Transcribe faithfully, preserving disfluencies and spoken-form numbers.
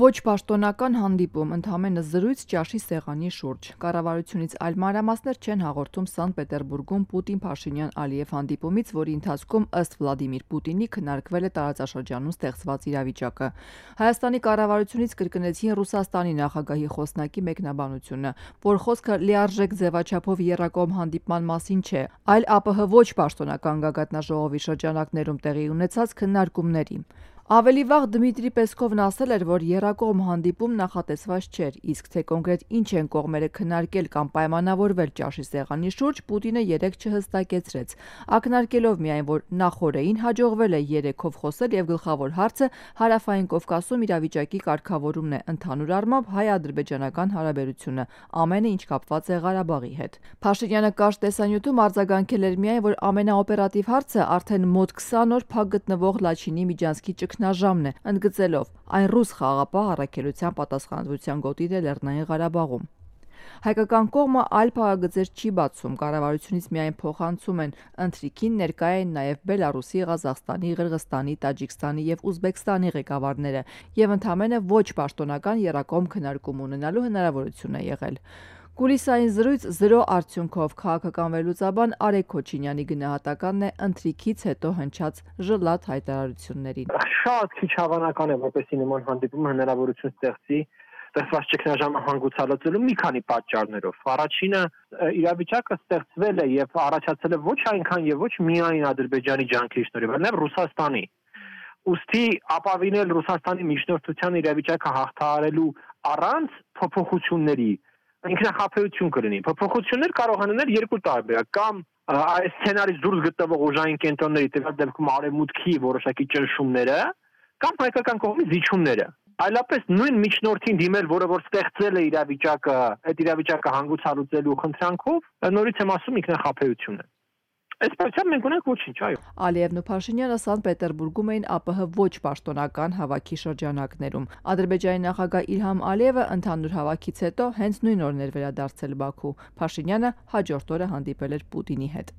Ոչ պաշտոնական հանդիպում, ընդամենը զրույց ճաշի սեղանի շուրջ։ Կառավարությունից այլ մանրամասներ չեն հաղորդում Սանկտ Պետերբուրգում Պուտին-Փաշինյան-Ալիև հանդիպումից, որի ընթացքում ըստ Վլադիմիր Պուտինի քննարկվել է տարածաշրջանում ստեղծված իրավիճակը։ Հայաստանի կառավարությունից կրկնեցին Ռուսաստանի նախագահի խոսնակի մեկնաբանությունը, որ խոսքը լիարժեք ձևաչափով եռակողմ հանդիպման մասին չէ, այլ ԱՊՀ ոչ պաշտոնական գագաթնաժողովի շրջանակներում տեղի ունեցած քննարկումների։ Ավելի վաղ Դմիտրի Պեսկովն ասել էր, որ եռակողմ հանդիպում նախատեսված չէր, իսկ թե կոնկրետ ինչ են կողմերը քննարկել կամ պայմանավորվել ճաշի սեղանի շուրջ, Պուտինը երեկ չհստակեցրեց, ակնարկելով միայն, որ նախօրեին հաջողվել է երեքով խոսել եւ գլխավոր հարցը Հարավային Կովկասում իրավիճակի կարգավորումն է, ընդհանուր առմամբ հայ-ադրբեջանական հարաբերությունը, ամենը ինչ կապված է Ղարաբաղի հետ։ Փաշինյանը կարճ տեսանյութում արձագանքել էր միայն, որ ամենաօպերատիվ հարցը արդեն մոտ քսան օր փակ գտնվող Լաչինի միջանցքի ճգնաժամն է, ընդգծելով այն ռուս խաղաղապահ առաքելության պատասխանատվության գոտին է Լեռնային Ղարաբաղում։ Հայկական կողմը այլ փակագծեր չի բացում, կառավարությունից միայն փոխանցում են, ընթրիքին ներկա են նաև Բելարուսի, Ղազախստանի, Ղրղստանի, Տաջիկստանի եւ Ուզբեկստանի ղեկավարները եւ ընդամենը ոչ պաշտոնական եռակողմ քննարկում ունենալու հնարավորություն է եղել։ Կուլիսային զրույց զրո արդյունքով քաղաքական վերլուծաբան Արեգ Քոչինյանի գնահատականն է ընթրիքից հետո հնչած ժլատ հայտարարություններին։ Շատ քիչ հավանական է, որպեսզի նման հանդիպումը հնարավորություն ստեղծի ստեղծված ճգնաժամը հանգուցալուծելու մի քանի պատճառներով։ Առաջինը, իրավիճակը ստեղծվել է եւ առաջացել է ոչ այնքան եւ ոչ միայն Ադրբեջանի ջանքերի շնորհիվ, այլ նաեւ Ռուսաստանի։ Ուստի ապավինել Ռուսաստանի միջնորդության իրավիճակը հաղթահարելու առանց փոփոխությունների ինքնախապեյություն կլինի։ Փոփոխություններ կարող են լինել երկու տարբերակ, կամ այս սցենարից դուրս գտնվող ուժային կենտրոնների, տվյալ դեպքում արևմուտքի որոշակի ճնշումները, կամ հայկական կողմի զիջումները։ Այլապես նույն միջնորդին դիմել, որը որ ստեղծել է իրավիճակը, այդ իրավիճակը հանգուցալուծելու խնդրանքով, նորից եմ ասում, ինքնախապեյություն է։ Այս պարությամբ մենք ունենք ոչինչ, այո։ Ալիևն ու Փաշինյանը Սանկտ Պետերբուրգում էին ԱՊՀ ոչ պաշտոնական հավաքի շրջանակներում։ Ադրբեջանի նախագահ Իլհամ Ալիևը ընդհանուր հավաքից հետո հենց նույն օրն էր վերադարձել Բաքու։ Փաշինյանը հաջորդ օրը հանդիպել էր Պուտինի հետ։